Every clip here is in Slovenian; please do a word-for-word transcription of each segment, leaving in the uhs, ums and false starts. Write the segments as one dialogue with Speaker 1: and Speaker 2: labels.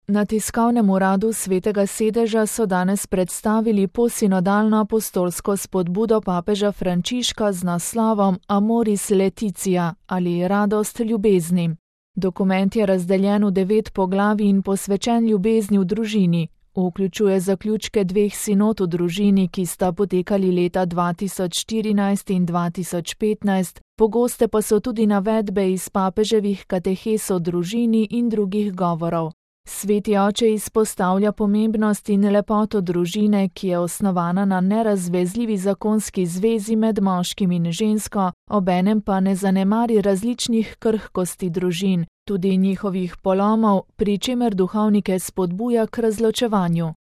Speaker 1: Na tiskovnem uradu Svetega sedeža so danes predstavili posinodalno apostolsko spodbudo papeža Frančiška z naslovom Amoris Laetitia ali Radost ljubezni. Dokument je razdeljen v devet poglavij in posvečen ljubezni v družini. Vključuje zaključke dveh sinod v družini, ki sta potekali leta dva tisoč štirinajst in dva tisoč petnajst, pogoste pa so tudi navedbe iz papeževih katehes o družini in drugih govorov. Sveti oče izpostavlja pomembnost in lepoto družine, ki je osnovana na nerazvezljivi zakonski zvezi med moškim in žensko, obenem pa ne zanemari različnih krhkosti družin, tudi njihovih polomov, pri čemer duhovnike spodbuja k razločevanju.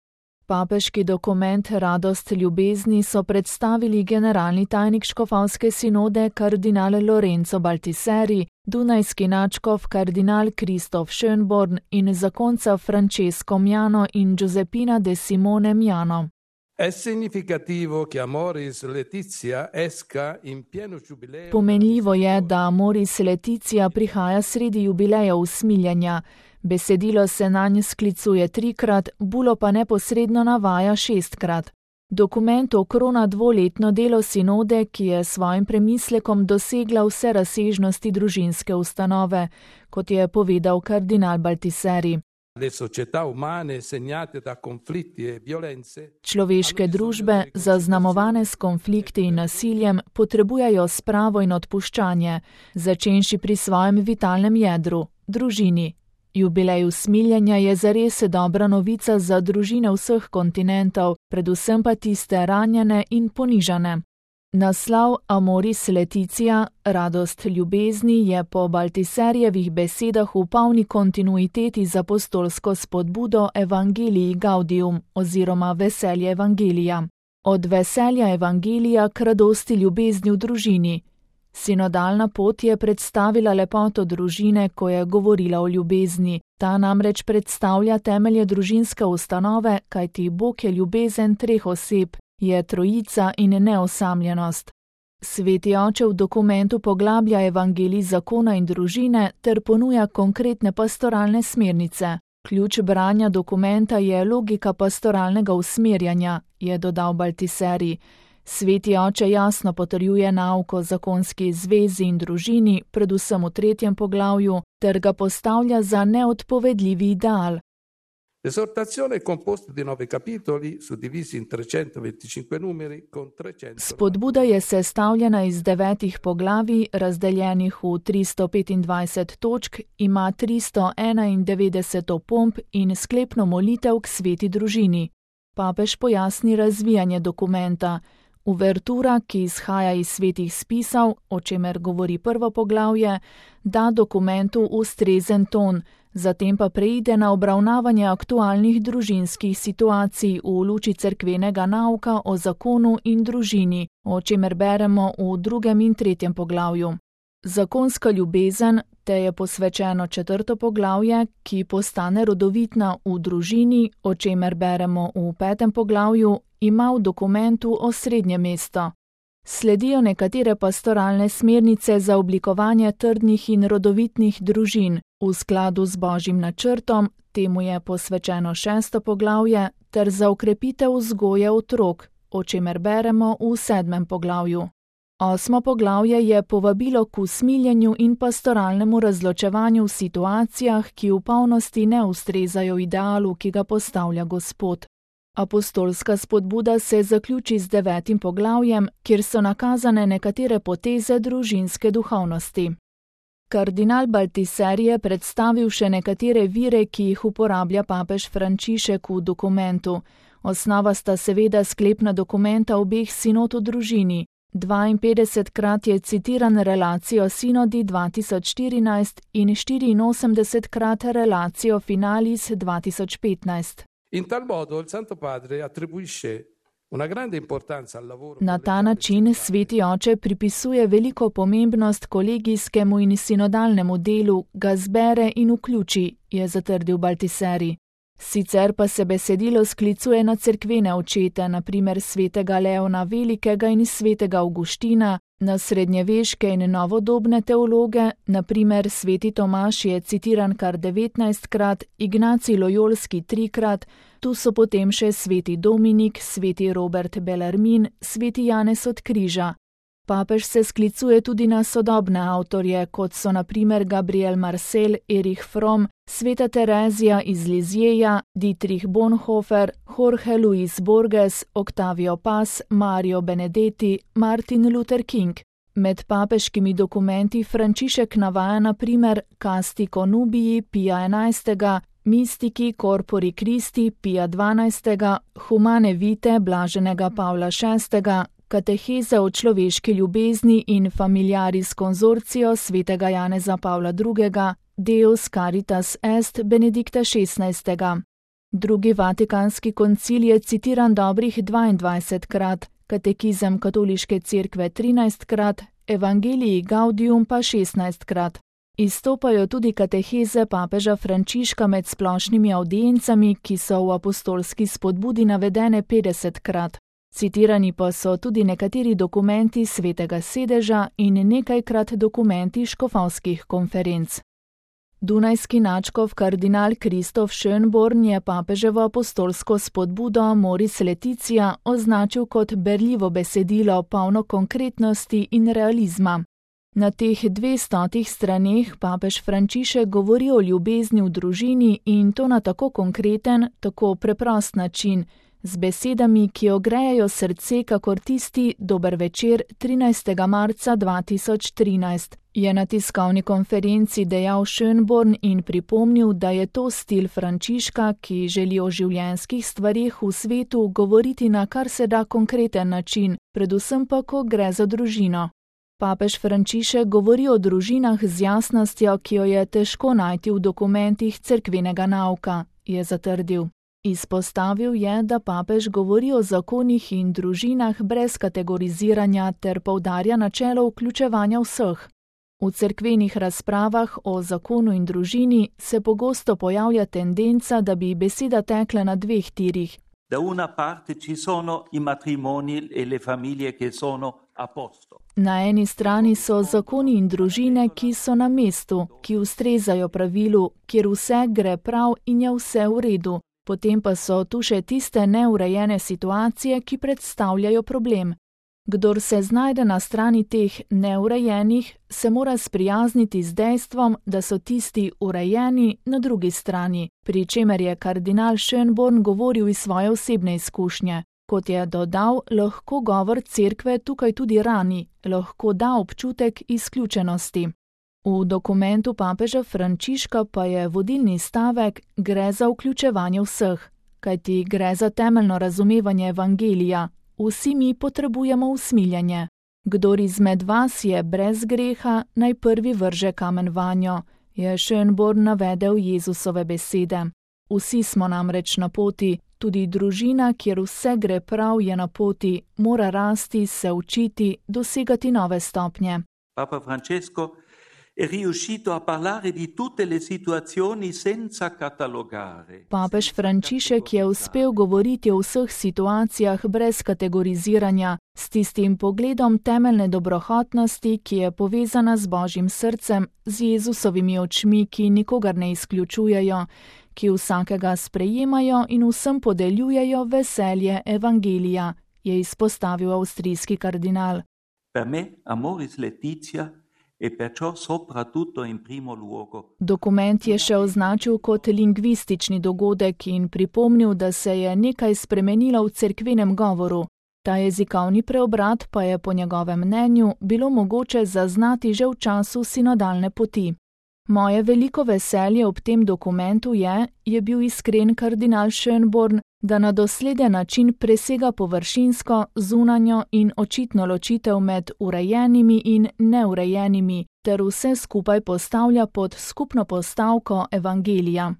Speaker 1: Papeški dokument Radost ljubezni so predstavili generalni tajnik škofovske sinode kardinal Lorenzo Baltiseri, dunajski nadškof kardinal Kristof Schönborn in zakonca Francesco Miano in Giuseppina de Simone Miano. Pomenljivo je, da Amoris Laetitia prihaja sredi jubileja usmiljenja. Besedilo se nanj sklicuje trikrat, bulo pa neposredno navaja šestkrat. Dokument okrona dvoletno delo sinode, ki je svojim premislekom dosegla vse razsežnosti družinske ustanove, kot je povedal kardinal Baltiseri. Človeške družbe, zaznamovane s konflikti in nasiljem, potrebujejo spravo in odpuščanje, začenši pri svojem vitalnem jedru, družini. Jubilej usmiljenja je zares dobra novica za družine vseh kontinentov, predvsem pa tiste ranjene in ponižane. Naslov Amoris Laetitia, Radost ljubezni, je po Baltiserjevih besedah v polni kontinuiteti z apostolsko spodbudo Evangelii Gaudium oziroma veselje evangelija. Od veselja evangelija k radosti ljubezni v družini. Sinodalna pot je predstavila lepoto družine, ko je govorila o ljubezni. Ta namreč predstavlja temelje družinske ustanove, kajti Bog je ljubezen treh oseb, je trojica in neosamljenost. Sveti oče v dokumentu poglablja evangelij zakona in družine ter ponuja konkretne pastoralne smernice. Ključ branja dokumenta je logika pastoralnega usmerjanja, je dodal Baltiseri. Sveti oče jasno potrjuje nauk o zakonski zvezi in družini, predvsem v tretjem poglavju, ter ga postavlja za neodpovedljivi ideal. Spodbuda je sestavljena iz devetih poglavij, razdeljenih v tristo petindvajset točk, ima tristo enaindevetdeset opomb in sklepno molitev k sveti družini. Papež pojasni razvijanje dokumenta. Uvertura, ki izhaja iz svetih spisov, o čemer govori prvo poglavje, da dokumentu ustrezen ton, zatem pa preide na obravnavanje aktualnih družinskih situacij v luči cerkvenega nauka o zakonu in družini, o čemer beremo v drugem in tretjem poglavju. Zakonska ljubezen, te je posvečeno četrto poglavje, ki postane rodovitna v družini, o čemer beremo v petem poglavju, ima v dokumentu osrednje mesto. Sledijo nekatere pastoralne smernice za oblikovanje trdnih in rodovitnih družin, v skladu z Božjim načrtom, temu je posvečeno šesto poglavje, ter za okrepitev vzgoje otrok, o čemer beremo v sedmem poglavju. Osmo poglavje je povabilo k usmiljenju in pastoralnemu razločevanju v situacijah, ki v polnosti ne ustrezajo idealu, ki ga postavlja Gospod. Apostolska spodbuda se zaključi z devetim poglavjem, kjer so nakazane nekatere poteze družinske duhovnosti. Kardinal Baltiseri je predstavil še nekatere vire, ki jih uporablja papež Frančišek v dokumentu. Osnova sta seveda sklepna dokumenta obeh sinod v družini. dvainpetdesetkrat je citiran relacijo sinodi dva tisoč štirinajst in štiriinosemdesetkrat relacijo finalis dva tisoč petnajst. Na ta način sveti oče pripisuje veliko pomembnost kolegijskemu in sinodalnemu delu, ga zbere in vključi, je zatrdil Baltiseri. Sicer pa se besedilo sklicuje na cerkvene očete, na primer svetega Leona Velikega in svetega Avguština, Na srednjeveške in novodobne teologe, na primer sveti Tomaž je citiran kar devetnajstkrat, Ignacij Lojolski trikrat, tu so potem še sveti Dominik, sveti Robert Bellarmin, sveti Janez od Križa. Papež se sklicuje tudi na sodobne avtorje, kot so na primer Gabriel Marcel, Erich Fromm, sveta Terezija iz Lizjeja, Dietrich Bonhoeffer, Jorge Luis Borges, Octavio Paz, Mario Benedetti, Martin Luther King. Med papeškimi dokumenti Frančišek navaja na primer Casti Conubii Pija enajstega, Mistiki Corpori Christi Pija dvanajstega, Humane Vitae blaženega Pavla šestega, Kateheze o človeški ljubezni in Familiaris Consortio svetega Janeza Pavla drugega, Deus Caritas Est Benedikta šestnajstega. Drugi vatikanski koncil je citiran dobrih dvaindvajsetkrat, Katekizem katoliške cerkve trinajstkrat, Evangelii Gaudium pa šestnajstkrat. Izstopajo tudi kateheze papeža Frančiška med splošnimi avdiencami, ki so v apostolski spodbudi navedene petdesetkrat. Citirani pa so tudi nekateri dokumenti Svetega sedeža in nekajkrat dokumenti škofovskih konferenc. Dunajski nadškof kardinal Kristof Schönborn je papeževo apostolsko spodbudo Moris Laetitia označil kot berljivo besedilo, polno konkretnosti in realizma. Na teh dvestotih straneh papež Frančišek govori o ljubezni v družini in to na tako konkreten, tako preprost način, z besedami, ki ogrejejo srce kakor tisti dober večer trinajstega marca dva tisoč trinajst, je na tiskovni konferenci dejal Schönborn in pripomnil, da je to stil Frančiška, ki želi o življenjskih stvareh v svetu govoriti na kar se da konkreten način, predvsem pa, ko gre za družino. Papež Frančišek govori o družinah z jasnostjo, ki jo je težko najti v dokumentih cerkvenega nauka, je zatrdil. Izpostavil je, da papež govori o zakonih in družinah brez kategoriziranja ter poudarja načelo vključevanja vseh. V cerkvenih razpravah o zakonu in družini se pogosto pojavlja tendenca, da bi beseda tekla na dveh tirih.
Speaker 2: Da una parte ci sono i matrimoni e le famiglie che sono a posto.
Speaker 1: Na eni strani so zakoni in družine, ki so na mestu, ki ustrezajo pravilu, kjer vse gre prav in je vse v redu. Potem pa so tu še tiste neurejene situacije, ki predstavljajo problem. Kdor se znajde na strani teh neurejenih, se mora sprijazniti z dejstvom, da so tisti urejeni na drugi strani, pri čemer je kardinal Schönborn govoril iz svoje osebne izkušnje. Kot je dodal, lahko govor cerkve tukaj tudi rani, lahko da občutek izključenosti. V dokumentu papeža Frančiška pa je vodilni stavek gre za vključevanje vseh, kajti gre za temeljno razumevanje evangelija. Vsi mi potrebujemo usmiljenje. Kdor izmed vas je brez greha, naj prvi vrže kamen vanjo, je Schönborn navedel Jezusove besede. Vsi smo namreč na poti, tudi družina, kjer vse gre prav, je na poti, mora rasti, se učiti, dosegati nove stopnje.
Speaker 2: Papa Francesco è riuscito a parlare di tutte le situazioni senza catalogare.
Speaker 1: Papež Frančišek je uspel govoriti o vseh situacijah brez kategoriziranja, s tistim pogledom temeljne dobrohotnosti, ki je povezana z Božjim srcem, z Jezusovimi očmi, ki nikogar ne izključujejo, ki vsakega sprejemajo in vsem podeljujejo veselje evangelija, je izpostavil avstrijski kardinal.
Speaker 2: Per me, Amoris Laetitia e perciò soprattutto in primo luogo.
Speaker 1: Dokument je še označil kot lingvistični dogodek in pripomnil, da se je nekaj spremenilo v cerkvenem govoru. Ta jezikovni preobrat pa je po njegovem mnenju bilo mogoče zaznati že v času sinodalne poti. Moje veliko veselje ob tem dokumentu je, je bil iskren kardinal Schönborn, da na dosleden način presega površinsko, zunanjo in očitno ločitev med urejenimi in neurejenimi, ter vse skupaj postavlja pod skupno postavko evangelija.